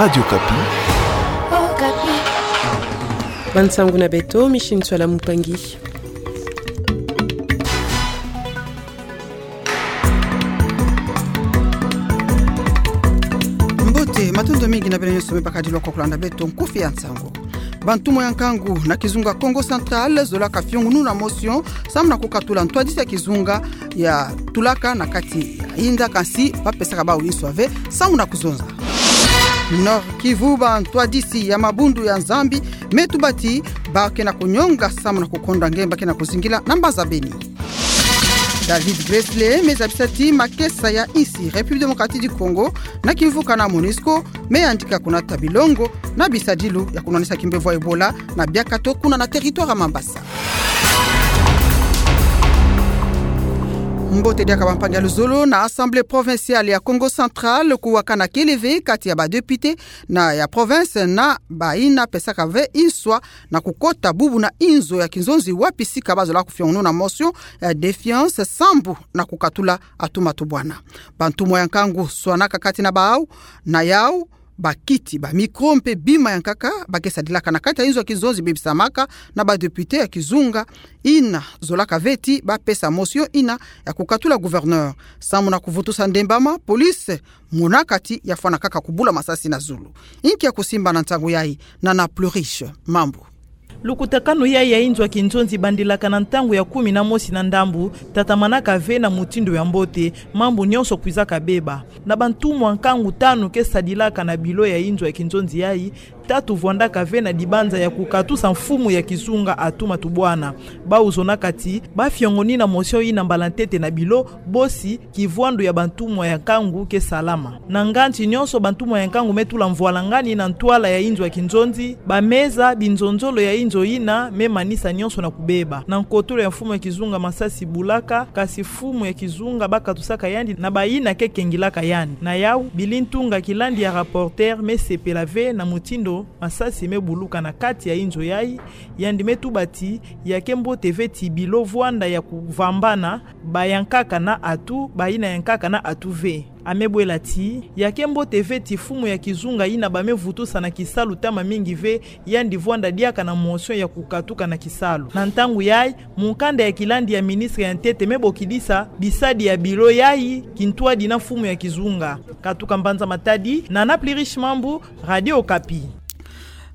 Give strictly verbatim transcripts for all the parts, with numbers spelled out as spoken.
Radio Okapi. Bansangu na beto, Micheline Nswala Mupangi. Mbote, matondo mingi na beno nyonso me bakadilwa kwa kulanda beto nkufi ya nsangu. Bantumwa ya nkangu na kizunga Kongo Central zolaka fiongununa motion samu na kukatula ntwadisi ya kizunga ya tulaka na kati ya inda, kansi ba pesaka bawu inswa ve samu na kuzonza. Nord-Kivu, bantwadisi ya mabundu ya Nzambi me tubati ba ke na kunyonga samu na kukonda nge ba ke na kuzingila na mbanza Beni. David Gressler me zabisa ti makesa ya insi République Démocratique du Congo na kimvuka na MONUSCO me yandika kunata bilongo na bisadilu ya kunwanisa kimbevo ya Ebola na biakato kuna na territoire ya Mambasa. Mbote diaka bampangi ya luzolo. Na Assemblée provinciale ya Kongo Central, kuwakana kele ve kati ya ba députés na ya province na bayina pesaka ve inswa na kukota bubu na inzo ya kinzonzi wapi sika ba zola kufiongununa motion ya défiance sambu na kukatula atuma tubwana. Bantumwa ya nkangu swanaka kati na bawu, na yawu, bakiti, ba micro mpe bima ya nkaka ba ke sadilaka na kati ya inzo ya kinzonzi bebisamaka na ba députés ya kizunga, yina zolaka ve ti ba pesa motion yina ya kukatula gouverneur. Samu na kuvutusa ndembama, police mona kati ya fwana kaka kubula masasi na zulu. Inki ya kusimba na ntangu yayi? Nana Pluriche Mambu. Lukutakanu yayi ya inzo ya kinzonzi bandilaka na ntangu ya kumi na mosi na ndambu, tatamanaka ve na mutindu ya mbote, mambu nyonso kwizaka beba. Na bantumwa nkangu tanu ke sadilaka na bilo ya inzo ya kinzonzi yayi, tatu vwandaka ve na dibanza ya kukatusa mfumu ya kizunga atuma tubwana. Bawu zonaka ti ba fiongonina motion yina mbala ntete na bilo, bosi kivwandu ya bantumwa ya nkangu ke salama. Na nganzi nyonso bantumwa ya nkangu me tula mvwalangani na ntwala ya inzo ya kinzonzi, ba meza, binzonzolo ya inzo yina me manisa nyonso na kubeba. Na nkotolo ya mfumu ya kizunga masasi bulaka, kasi mfumu ya kizunga ba katusaka yandi na bayina ke kengilaka yandi. Na yawu, Billy Ntunga, kilandi ya rapporteur, me sepela ve na mutindu masasi me buluka na kati ya inzo yayi, yandi me tuba ti ya ke mbote ve ti bilo vwanda ya kuvambana, ba ya nkaka na atu, bayina ya nkaka na atu ve. A me bwela ti ya ke mbote ve ti mfumu ya kizunga yina ba me vutusa na kisalu tama mingi ve, yandi vwanda diaka na motion ya kukatuka na kisalu. Na ntangu yayi, mukanda ya kilandi ya ministre ya ntete me bokidisa bisadi ya bilo yayi kintwadi na mfumu ya kizunga. Katuka mbanza Matadi, Nana Pluriche Mambu, Radio Okapi.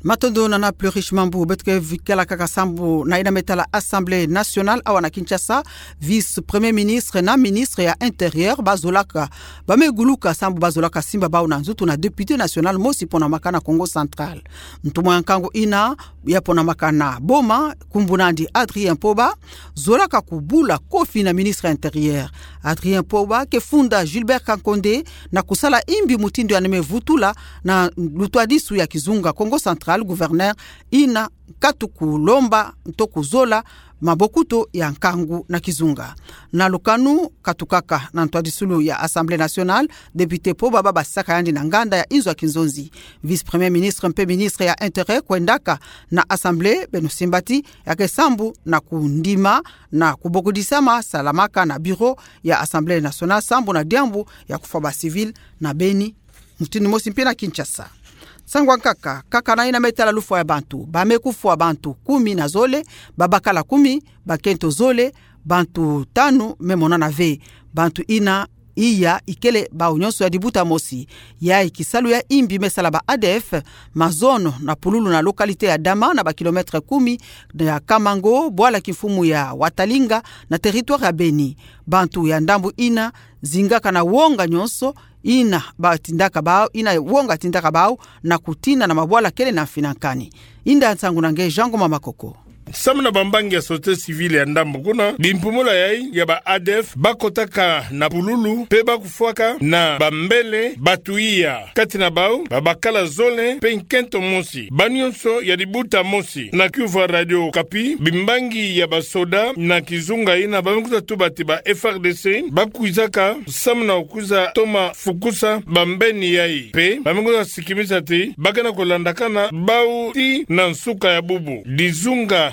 Matondo Nana Pluriche Mambu. Beto ke vikala kaka sambu na yina me tala Assemblée nationale awa na Kinshasa, vice-premier ministre na ministre ya intérieur ba zolaka, ba me guluka sambu ba zolaka simba bawu na nzutu na député national mosi ponamaka na Kongo Central. Ntumwa ya nkangu yina ya ponamaka na Boma, nkumbu na yandi Adrien Poba, zolaka kubula kofi na ministre ya intérieur. Adrien Poba ke funda Gilbert Kankonde na kusala yimbi mutindu yandi me vutula na lutwadisu ya kizunga Kongo Central, gouverneur yina katu kulomba nto kuzola mabokuto ya nkangu na kizunga. Na lukanu katukaka na ntwadisulu ya Assemblée nationale, député Poba ba basaka yandi na nganda ya inzo ya kinzonzi. Vice-premier ministre mpe ministre ya intérieur kwendaka na Assemblée, beno simba ti ya ke sambu na kundima na kubokidisama salamaka na bureau ya Assemblée nationale sambu na diambu ya kufwa ba civil na Beni, mutindu mosi mpe na Kinshasa. Nsangu ya nkaka, kaka na yina me tala lufwa ya bantu, ba me kufwa bantu kumi na zole, ba bakala kumi, bakento zole, bantu tanu me monana ve. Bantu yina iya ikele bawu nyonso ya dibuta mosi. Yayi kisalu ya yimbi me sala ba A D F, mazono na pululu na localité ya Dama na ba kilomètre kumi ya Kamango, bwala kimfumu ya Watalinga na territoire ya Beni. Bantu ya ndambu yina zingaka na wonga nyonso, yina ba tindaka bawu, yina wonga tindaka bawu na kutina na mabwala kele na mfinankani. Inda nsangu na nge Jean Ngoma Makoko. Samu na bambangi ya société civile ya ndambu kuna, bimpumula yayi ya ba A D F ba kotaka na pululu, mpe ba kufwaka na bambele bantu iya. Kati na bawu, ba bakala zole, mpe nkento mosi. Ba nyonso ya dibuta mosi. Na kiuvu ya Radio Okapi, bimbangi ya basoda na kizunga yina ba me kwiza tuba ti ba F A R D C, ba kwizaka samu na kwiza toma fukusa bambeni yayi. Mpe ba me kwiza sikimisa ti ba ke na kulandakana bawu tii na nsuka ya bubu. Dizunga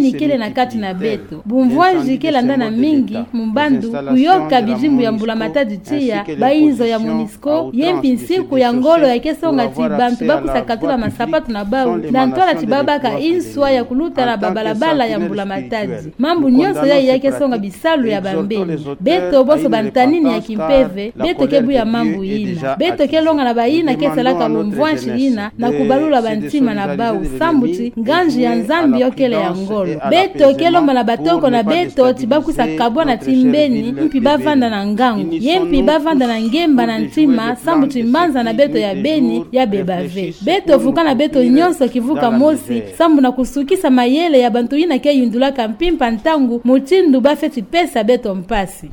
mbeni kele na kati na beto. Bumvwanzi ke landana mingi mu bandu kuyoka bidimbu ya mbula-matadi tiya, bayinzo ya MONUSCO, ye mpi nsiku ya ngolo ya ke songa ti bantu ba kwiza katula masapatu na bau, na ntwala ti ba baka inswa ya kuluta na babalabala ya mbula-matadi. Mambu nyonso yayi ya ke songa bisalu ya bambeni. Beto bonso bantanini ya kimpeve, beto ke buya mambu yina. Beto ke longa na bayina ke salaka bumvwanzi yina, na kubalula bantima na bau, sambu ti nganzi ya Nzambi yo kele ya ngolo. Beto ke lomba na batoko na beto ti ba kwiza kabwana ti mbeni, mpi ba vanda na ngangu. Ye mpi ba vanda na ngemba na ntima, sambu ti mbanza na beto ya beni, ya beba ve. Beto vukana beto nyonso kivuka mosi, sambu na kusukisa mayele ya bantu yina ke yundulaka mpimpa ntangu, mutindu ba feti pesa beto mpasi.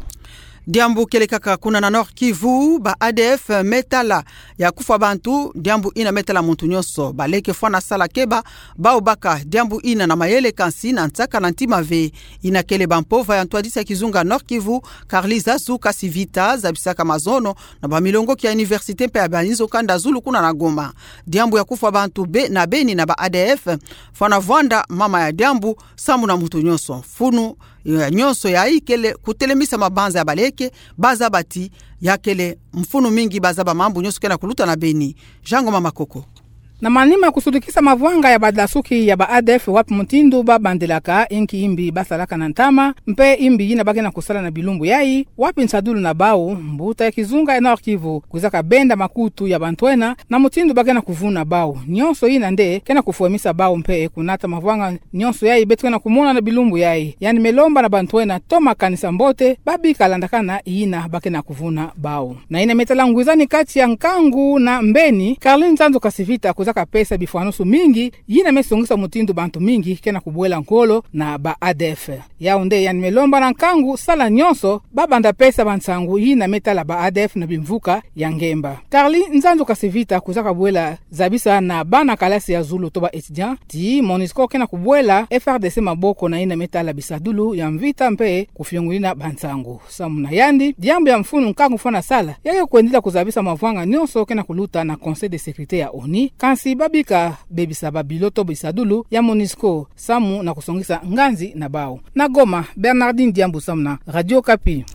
Diambu kele kaka kuna na Nord-Kivu, ba A D F me tala ya kufwa bantu, diambu yina me tala muntu nyonso. Baleke fwana sala keba, bau baka diambu yina na mayele kansi na nsaka na ntima ve. Yina kele bampova ya ntwadisi ya kizunga Nord-Kivu, Carly Zazu Kasivita, zabisaka mazono na bamilongoki ya université mpe ya bayinzo kanda zulu kuna na Goma. Diambu ya kufwa bantu be, na beni na ba A D F, fwana vwanda mama ya diambu, sambu na muntu nyonso. Mfunu ya nyonso yayi kele kutelemisa mabanza ya baleke, bazaba ti ya kele mfunu mingi, bazaba mambu nyonso ke na kuluta na beni. Jean Ngoma Makoko. Na manima ya kusudukisa mavwanga ya badasuki ya ba A D F, wapi mutindu ba bandilaka, inki imbi ba salaka na ntama, mpe imbi yina ba ke na kusala na bilumbu yayi, wapi nsadulu na bau, mbuta ya kizunga ya Nord-Kivu kwizaka benda makutu ya bantu ena, na mutindu ba ke na kuvuna bau. Nyonso yina nde ke na kufwemisa bau mpe kunata mavwanga nyonso yayi beto ke na kumona na bilumbu yayi. Yandi me lomba na bantu ena toma kanisa mbote, ba bika landakana yina ba ke na kuvuna bau. Na yina me tala ngwizani kati ya nkangu na mbeni, Carly Nzanzu Kasivita kwizaka pesa bifwanusu mingi, yina me songisa mutindu bantu mingi ke na kubwela nkolo na ba A D F. Yau nde yandi me lomba na nkangu sala nyonso, ba banda pesa bansangu yina me tala ba A D F na bimvuka ya ngemba. Carly Nzanzu Kasivita kwizaka bwela zabisa na bana kalasi ya zulu to ba étudiants, ti MONUSCO ke na kubwela F R D C maboko na yina me tala bisadulu ya mvita mpe kufiongolina bansangu. Samu na yandi, diambu ya mfunu nkangu fwana sala, ya ke kwendila kuzabisa mavwanga nyonso ke na kuluta na Conseil de sécurité ya ONU, kansi ba bika bebisa ba bilo to bisadulu ya MONUSCO, samu na kusongisa nganzi na bau. Na Goma, Bernardine Diambu samu na Radio Okapi.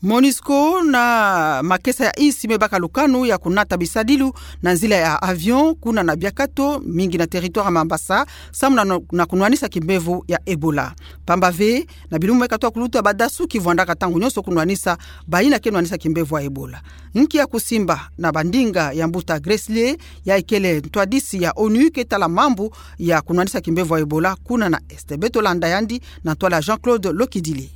MONUSCO na makesa ya insi me baka lukanu ya kunata bisadilu na nzila ya avion, kuna na biakato mingi na territoire ya Mambasa, samu na, na kunwanisa kimbevo ya Ebola. Pamba ve, na bilumbu me katoa kuluta, badasuki vwandaka ntangu nyonso kunwanisa bayina ke nwanisa kimbevo ya Ebola. Nki ya kusimba na bandinga ya mbuta Grace Lee, yayi kele ntwadisi ya ONU ke tala mambu ya kunwanisa kimbevo ya Ebola kuna na Est? Beto landa yandi na ntwala Jean-Claude Lokidile.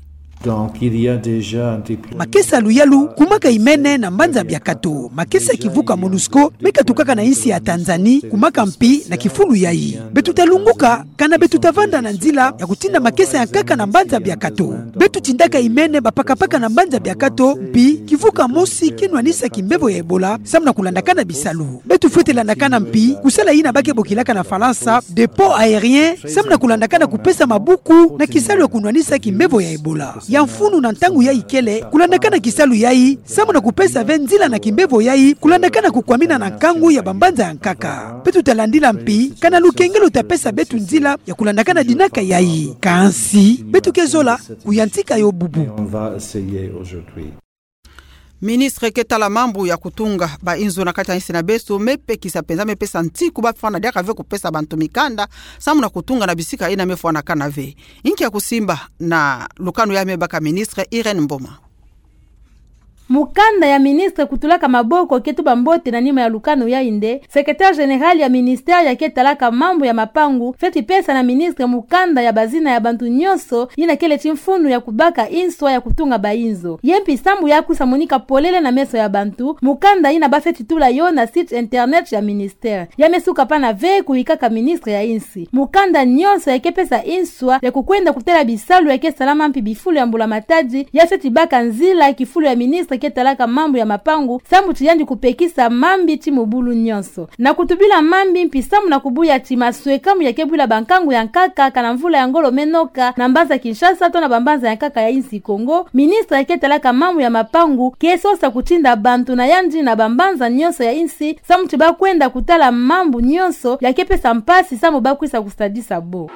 Donc, il y a déjà un déploiement. Makesa ya luyalu kumaka imene na mbanza biakato. Makesa ya kivuka MONUSCO meka tukaka na insi ya Tanzanie kumaka mpi na kifulu yayi. Beto talunguka kana beto tavanda na nzila ya kutinda makesa ya nkaka na mbanza biakato. Beto tindaka imene bapakapaka na mbanza biakato, mpi kivuka mosi ke nwanisa kimbevo ya Ebola, samu na kulandakana bisalu. Beto fwete landakana mpi kusala yina ba ke bokilaka na Falansa dépôt aérien, samu na kulandakana kupesa mabuku na kisalu ya kunwanisa kimbevo ya Ebola. Ya mfunu na ntangu yayi kele kulandakana kisalu yayi, samu na kupesa ve nzila na kimbevo yayi kulandakana kukwamina na nkangu ya bambanza ya nkaka. Beto talandila mpi kana lukengelo lutapesa beto nzila ya kulandakana dinaka yayi. Kansi beto ke zola kuyantika yo bubu. On va essayer aujourd'hui. Ministre ke tala mambu ya kutunga bainzo na kati ya insi na beto mepekisa mpenza, mepesa ntiku bafwana diaka ve kupesa bantu mikanda samu na kutunga na bisika yina mefwanakana ve. Inki ya kusimba na lukanu ya me baka ministre Irène Mboma? Mukanda ya ministre kutulaka maboko ke tuba mbote na nima ya lukanu yayi nde, secrétaire général ya ministère ya ke talaka mambu ya mapangu feti pesa na ministre mukanda ya bazina ya bantu nyonso yina kele ti mfunu ya kubaka inswa ya kutunga bainzo. Ye mpi sambu ya kwisa monika polele na meso ya bantu, mukanda yina ba feti tula yo na site internet ya ministère. Ya me suka pana ve kuyikaka ministre ya insi. Mukanda nyonso ya ke pesa inswa ya kukwenda kutala bisalu ya ke salama mpi bifulu ya mbula matadi, ya feti baka nzila kifulu ya ministre ke talaka mambu ya mapangu, samu ti yandi kupekisa mambi ti mubulu nyonso. Na kutubila mambi mpi samu na kubuya ti maswekamu ya ke bwila bankangu ya nkaka kana mvula ya ngolo me noka na mbanza Kinshasa to na bambanza ya nkaka ya insi Kongo, ministre ya ke talaka mambu ya mapangu ke sosa kutinda bantu na yandi na bambanza nyonso ya insi, samu ti ba kwenda kutala mambu nyonso ya ke pesa mpasi samu ba kwisa kusadisa bo.